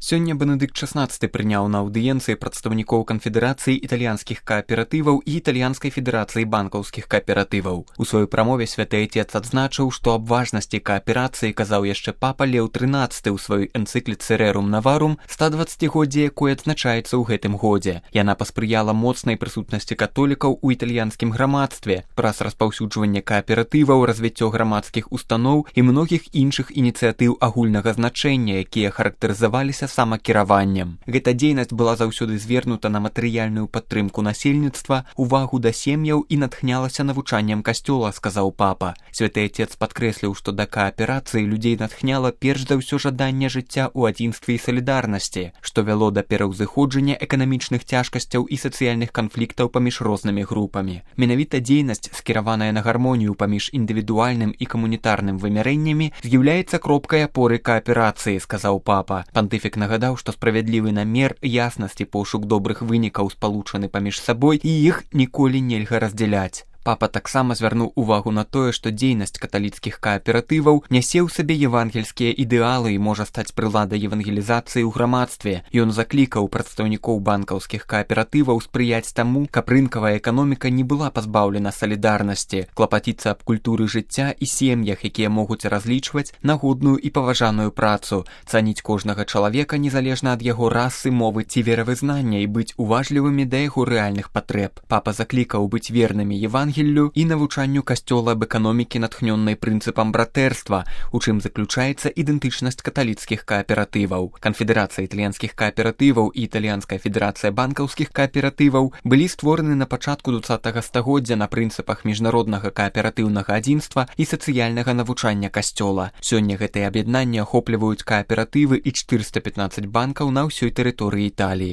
Сёння Бенедыкт XVI прыняў на аўдыенцыі прадстаўнікоў канфедэрацыі італьянскіх кааператываў і італьянскай федэрацыі банкаўскіх кааператываў. У сваёй прамове святы айцец адзначыў, што аб важнасці кааперацыі казаў яшчэ папа Леў XIII ў сваёй энцыкліцы Rerum Novarum, 120-годзе якой адзначаецца ў гэтым годзе. Яна паспрыяла моцнай прысутнасці католікаў у італьянскім грамадстве праз распаўсюджванне кааператываў, развіццё грамадскіх устаноў і многіх іншых ініцыятыў агульнага значэння, якія характарызаваліся самакіраваннем. Гэта дзейнасць была заўсёды звернута на матэрыяльную падтрымку насельніцтва, увагу да сем'яў і натхнялася навучаннем касцёла, сказаў папа. Святы айцец падкрэсліў, што да кааперацыі людзей натхняла перш за ўсё жаданне жыцця ў адзінстве і салідарнасці, што вяло да пераўзыходжання эканамічных цяжкасцяў і сацыяльных канфліктаў паміж рознымі групамі. Менавіта дзейнасць, скіраваная на гармонію паміж індывідуальным і камунітарным вымярэннямі, з'яўляецца кропкай апоры кааперацыі, сказаў папа. Пантыфік нагадаў, што справядлівы намер, яснасць і пошук добрых вынікаў спалучаны паміж сабой і іх ніколі нельга раздзяляць. Папа таксама звярнуў увагу на тое, што дзейнасць каталіцкіх кааператываў нясе ў сабе евангельскія ідэалы і можа стаць прыладай евангелізацыі ў грамадстве. Ён заклікаў прадстаўнікоў банкаўскіх кааператываў спрыяць таму, каб рынкавая эканоміка не была пазбаўлена салідарнасці, клапаціцца аб культуры жыцця і сем'ях, якія могуць разлічваць на годную і паважаную працу, цаніць кожнага чалавека незалежна ад яго расы, мовы ці веравызнання і быць уважлівымі да яго рэальных патрэб. Папа заклікаў быць вернымі евангелію і навучанню касцёла аб эканомікі, натхнённай прынцыпам братэрства, у чым заключаецца ідэнтычнасць каталіцкіх кааператываў. Канфедэрацыя італьянскіх кааператываў і італьянская федэрацыя банкаўскіх кааператываў былі створаны на пачатку 20-го стагоддзя на прынцыпах міжнароднага кааператыўнага адзінства і сацыяльнага навучання касцёла. Сёння гэтыя аб'яднанні ахопліваюць кааператывы і 415 банкаў на ўсёй тэрыторыі Італіі.